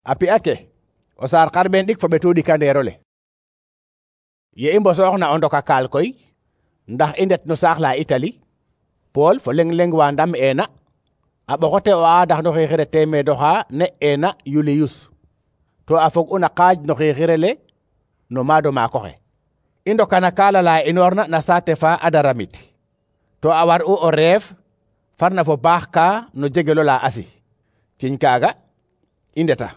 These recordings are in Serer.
a pi'a ke o saar xarɓeen ɗik fo ɓetu ɗikandeero le. Ye i mbosooxna o ndoka kaal koy ndax i ndet no saax la Itali, Pool fo leng wa ndam'eena a ɓoxote o aadax no xixire teemeedoxa ne'eena Yuliyus, to a fog'una qaaj no xixire le no maado maakoxe. I ndoka na kaala la inoorna na saate fa Adaramit, to a war'u o reef farna fo baax ka no jegelo la Asi. Ciñ kaaga i ndeta.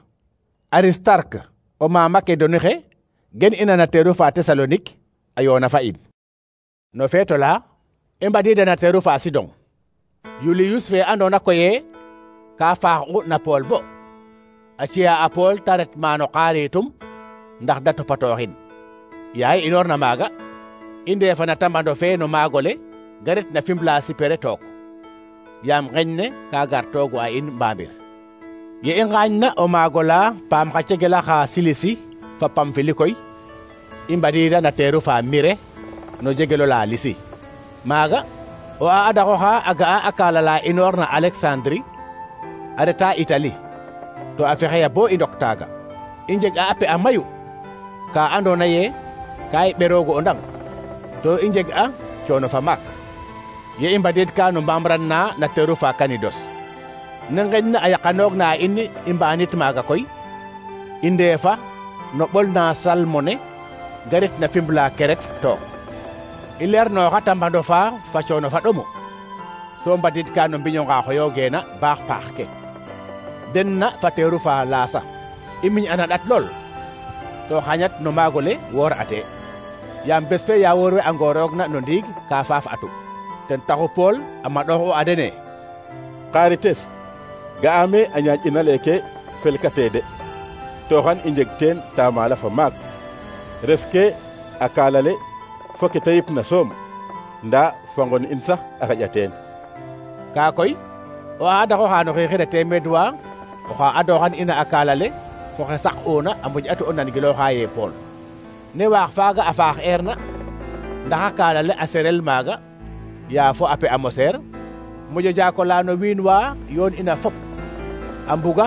Aristarque o ma Makedoni xe gen ina na teeru fa Tesalonik a yoona fa in. No feeto la i mbadiida na teeru fa Sidon. Yuliyus fe andoona koye ka faax'u na Pool bo a ci'a a Pool ta ret maano xaaritum ndax da topatooxin. Yaay inoorna maaga i ndeefana tambando fe no maagole ga ret na Fimbla Sipere took, yaam ngeñ ne ka gar toogu a in Mbamir. Ye i ngaañna o maagola paam xa cegela xa Silisi fa Pamfili koy i mbadiida na teeru fa Mire no jegelo la Lisi. Maaga o adaxoxa a ga'a a kaala la inoor na Alexandri a reta Itali, to a fexeya bo i ndok taaga. I njeg'a a pe'a mayu ka andoona ye ka i ɓeroogu o ndang, to i njeg'a coono fa maak. Ye i mbadiidka no mbamran na teeru fa Kanidos, ne ngeñna a yaqanoogna a in i mbaanit maaga koy i ndeefa no ɓol na Salmone ga ret na Fimbla Keret took. I leernooxa tambando fa coono fa ɗomu, so mbadiidka no mbiño nga xoyoogeena baax paax ke. Den na fa teeru fa Laasa i miñ'ana ɗat lool, to xañat no maagole woor ate, yaam bes fe ya woor we a ngooroogna no ndiig ka faaf atu. Ten taxu Pool a maɗoxu a dene: Xarites, ga'aame a ñaaƴina leeke felkatee de, to xan i njeg teen taamala fa maak. Ref ke a kaalale fo ke ta yipna soom, ndaa fangon in sax a xaƴa teen. Kaa koy o aadaxoxa no xixire teemeed wa oxa adooxan ina a kaalale fo xe saq'una a moƴ'atu o nangilooxa ye Pool. Ne waax faaga a faax eerna ndax a kaalale a serel maaga yaa fo a pe a moseer moƴo jaakola no wiin wa yoon ina fop a mbuga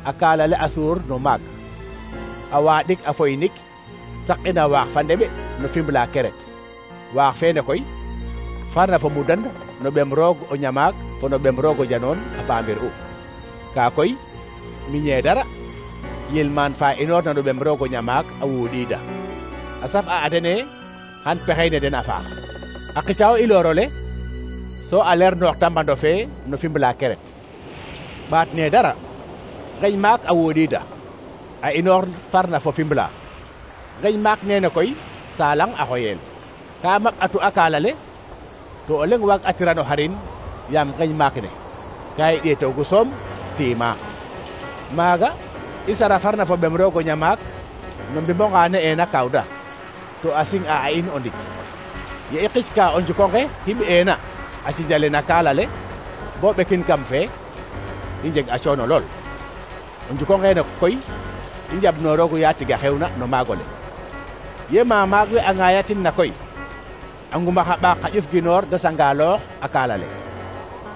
a kaalale a suur no maag, a waaɗik a foynik saq'ina waax fa ndeɓe no Fimbla Keret. Waax feene koy farna fo mudand no ɓem roog o ñamaak fo no ɓem roog o janoon a faamir u. Kaa koy miñee dara yilmaan fa inoorna no ɓem roog o ñamaak a wuuɗiida, a saf a adene xan pexey ne den a faax. A qicao i loorole so a leernoox tambando fe no Fimbla Keret. ɓaat ne dara ngeñ maak a wuuɗiida a inoor farna fo Fimbla. Ngeñ maak nene koy Salang a xoyel, ka mak atu a kaalale to o leng waag atirano xarin yaam ngeñ maak ne ka i ɗeetoogu soom tiima. Maaga i sara farna fo ɓem roog o ñamaak no mbimboŋa ne'eena Kawda, to a sing'a a in o ndik. Ye i qicka o njukonge hiɓ'eena a cinjale na kaalale bo ɓekin kam fe i njeg a coono lool. O njukongeene koy i njaɓnooroogu yaa tiga xewna no maagole. Ye maag we a ŋaayatin na koy a ngumax a ɓaak xa ƴuf ginoor da sangaloox a kaalale,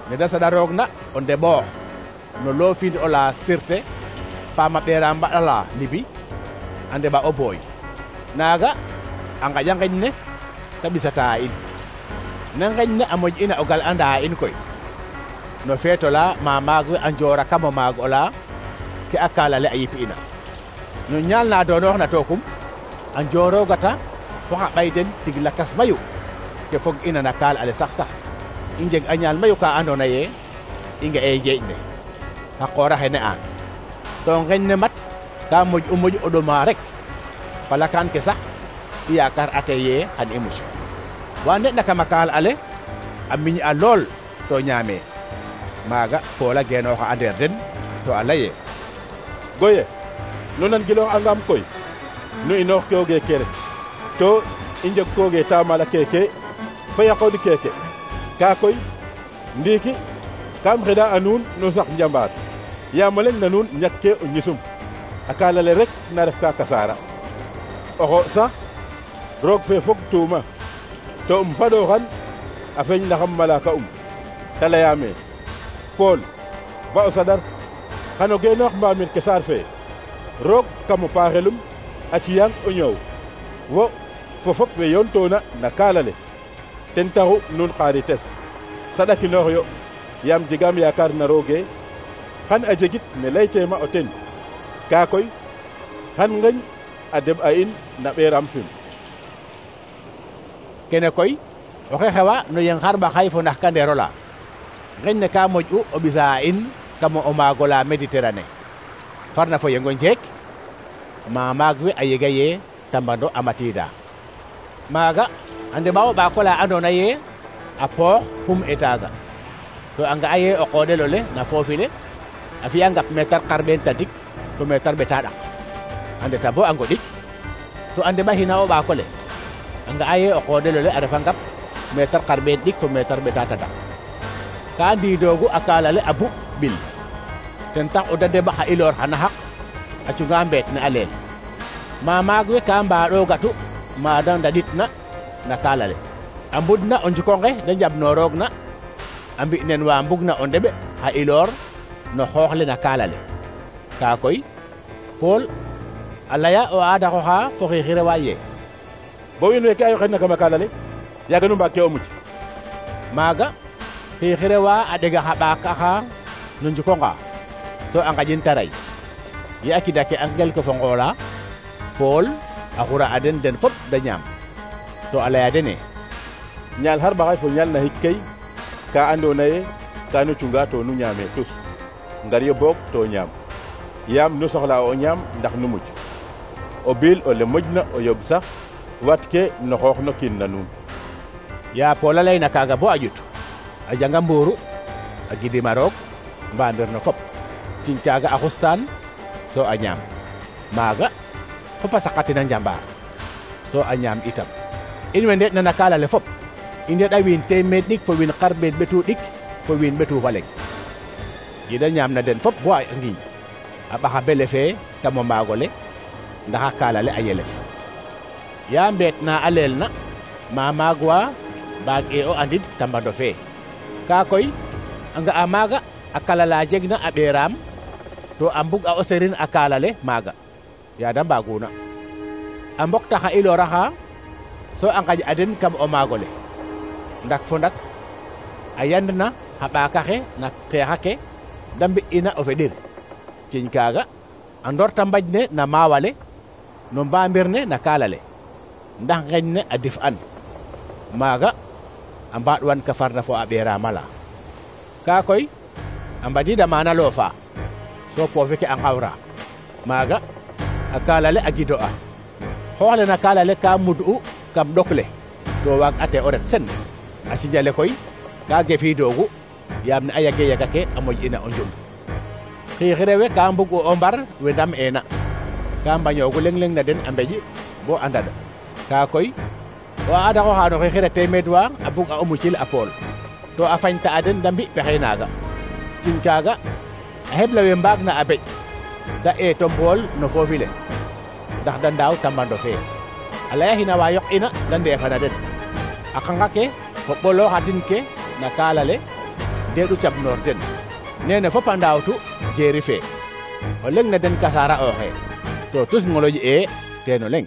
ne da saɗaroogna o ndeɓoox no loofind o la Sirte paama ɓeera mbaɗala Libi a ndeɓa o booy. Naaga a ngaƴa ngeñ ne ta ɓisata a in. Ne ngeñ ne a moƴ'ina o gal'anda a in koy no feeto la maag we a njoora kam o maag ola ke a kaalale a yip'ina. No ñaal na doonooxna tookum a njooroogata fo xa ɓay den tig lakas mayu ke fog ina na kaal ale sax i njeg a ñaal mayu ka andoona ye i nga'e njeeƴ ne xa qoor axe ne'aan, to ngeñ ne mat ka moƴ o ɗoma rek. Palakaan ke sax i yaakar ate ye xan i muc. Wa nde'na kam a kaal ale a miñ'a lool to ñaamee. Maaga Pool a geenooxa a ndeer den to a laye: Goye, nu nangilooxangam koy nu inoox kooge kere, to i njeg kooge taamala keke fa yaqood keke. Kaa koy ndiiki kam xeɗa a nuun nu sax njambaar, yaam o leŋ na nuun ñakkee o ñisum, a kaalale rek na ref ka kasaara. Oxo sax roog fe fog tuuma to faɗooxan a feñ naxam malaka ta layaame: Pool, ba o saɗar xano geenoox mbaamir ke saar fe roog kamo paaxelum a ciyang o ñoow wo fo fop we yoon toona na kaalale ten taxu nuun xaarites saɗakinoox yo yaam jegaam yaakaar na rooge xan a jegit ne layteema o ten kaa koy xan ngeñ a deɓ a in na ɓeeraam fim kene koy oxe xewa no yeng xarɓa xay fo nax kandeero la ngeñ ne ka moƴ'u o ɓisa a in kamo o maago la Méditerranée farna fo yengo njeek ma maag we a yega ye tambando a matiida maaga a ndeɓa o ɓaako la andoona ye a poox xum etaaga to a nga'a ye o qoodel ole na foofi le a fi'a ngap meetar xarɓeen tadik fo meetar ɓeta ɗak a ndeta bo a ngoɗik to a ndeɓaxina o ɓaako le a nga'a ye o qoodel ole a refa ngap meetar xarɓeen ɗik fo meetar ɓeta tadak ka ndiidoogu a kaalale a buɓ ɓil ten tax o da ndeɓax a iloor xana xaq a cunga mbeet ne a leel ma maag we ka mbaɗoogatu ma da ndaɗitna na kaalale a mbudna o njikonge da njaɓnooroogna a mbi nen wa mbugna o ndeɓe xa iloor no xoox le na kaalale kaa koy Paul a laya o aadaxoxa fo xiixirewa ye bo wiin we ke a yoxeedna kama kaalale yaaga nu mbaag ke o muc maaga xiixirewa a ɗega xa ɓaak axa no njikonga so a ngaƴin ta ray ye a kida ke a ngel ko fo ngoola Paul a xura a den fop da ñaam to a laya dene ñaal xar ɓaxay fo ñaal na xik kay ka andoona ye ka nu cunga to nu ñaame tus ngar yo boog to ñaam yaam nu soxla o ñaam ndax nu muc o bil ole moƴna o yoɓ sax wat ke no xoox no kiin na nuun ya Paul a layna kaaga bo a ƴut a janga mbuuru a gidima roog mbamir no fop tin kaaga a xustaan so a ñaam maaga fop a saqatina njambaar so a ñaam itam in we ndeɗna na kaalale fop i ndeɗa wiin teemeed ɗik fo wiin xarɓeed ɓetu ɗik fo wiin ɓetu fa leŋ yida ñaam na den fop bo a ngiñ a ɓaxa bele fee kamo maago le ndax a kaalale a yelef ya mbeet na a leel na ma maag wa mbaag e o andid tambando fee kaa koy a nga'a maaga a kalala jegna a ɓeeraam to a mbug a o serin a kaalale maaga yaada mbaaguna a mbok taxa ilooraxa so a ngaƴ a den kam o maago le ndak fo ndak a yandna xa ɓaakaxe na xeexa ke da mbi'ina o feɗir ciñ kaaga a ndorta mbaƴ ne na maawale no mbamir ne na kaalale ndax ngeñ ne a dif an maaga a mbaaɗwan ka farna fo a ɓeeraama la kaa koy a mbadiida maana loofa so poofi ke a ngawra maaga a kaalale a gido a xooxle na kaalale ka mud'u kam ɗok le to waag ate o ret sen a cinjale koy ka gefiidoogu yaam ne a yaga ke a moƴ'ina o njum xiixirewe ka mbug o mbar we ndam eena ka mbañoogu leŋ na den a mbeƴ bo a ndad kaa koy o aadaxoxa no xiixire teemeed wa a bug a o mucil a Paul to a fañta a den da mbi pexey naaga tin kaaga a xebla we mbaag na a beƴ da eeto Paul no foofi le ndax da ndaaw tambando fee a layaxina wa yoq'ina da ndeefana den a qanga ke fo ɓolooxatin ke na kaalale ndeeɗu cabnoor den nene fop a ndaawtu jeeri fee o leŋ na den kasaara ooxe to tus ngoloƴ e teen o leŋ